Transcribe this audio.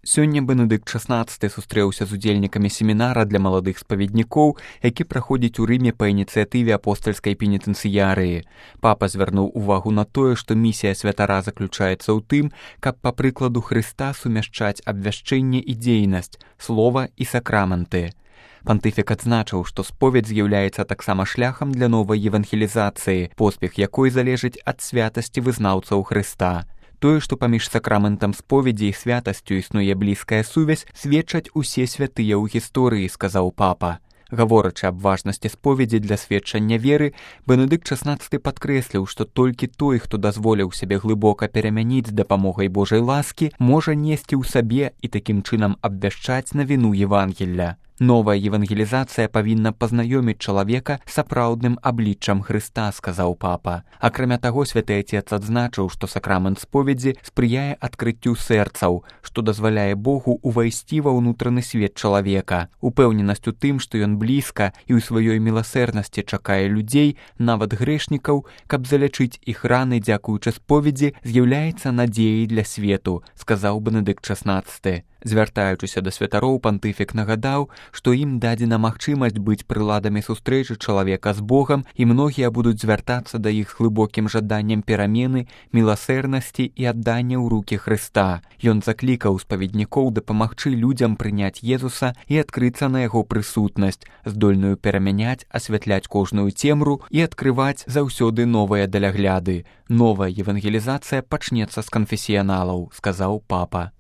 Сёння Бенедыкт XVI сустрэўся з удзельнікамі семінара для маладых спаведнікоў, які праходзіць у Рыме па ініцыятыве апостальскай пенітэнцыярыі. Папа звярнуў увагу на тое, што місія святара заключаецца ў тым, каб па прыкладу Хрыста сумяшчаць абвяшчэнне і дзейнасць, слова і сакраменты. Пантыфік адзначыў, што споведь з'яўляецца таксама шляхам для новай евангелізацыі, поспех якой залежыць ад святасці вызнаўцаў Хрыста. Тое, што паміж сакраментам споведзі і святасцю існуе блізкая сувязь, сведчаць усе святыя ў гісторыі, сказаў папа. Гаворачы аб важнасці споведзі для сведчання веры, Бенедыкт XVI падкрэсліў, што толькі той, хто дазволіў сябе глыбока перамяніць з дапамогай Божай ласкі, можа несці ў сабе і такім чынам абвяшчаць навіну Евангелля. Новая евангелізацыя павінна пазнаёміць чалавека сапраўдным абліччам Хрыста, сказаў папа. Акрамя таго, святы Отец адзначыў, што сакрамент споведзі спрыяе адкрыццю сэрцаў, што дазваляе Богу увайсці ва ўнутраны свет чалавека. Упэўненасць у тым, што ён блізка і ў сваёй міласэрнасці чакае людзей, нават грэшнікаў, каб залячыць іх раны дзякуючы споведзі, з'яўляецца надзеяй для свету, сказаў Бенедыкт XVI. Звяртаючыся да святароў, пантыфік нагадаў, што ім дадзена магчымасць быць прыладамі сустрэчы чалавека з Богам, і многія будуць звяртацца да іх з глыбокім жаданнем перамены, міласэрнасці і аддання ў рукі Хрыста. Ён заклікаў спаведнікоў дапамагчы людзям прыняць Езуса і адкрыцца на яго прысутнасць, здольную перамяняць, асвятляць кожную цемру і адкрываць заўсёды новыя далягляды. Новая евангелізацыя пачнецца з канфесіяналаў, сказаў папа.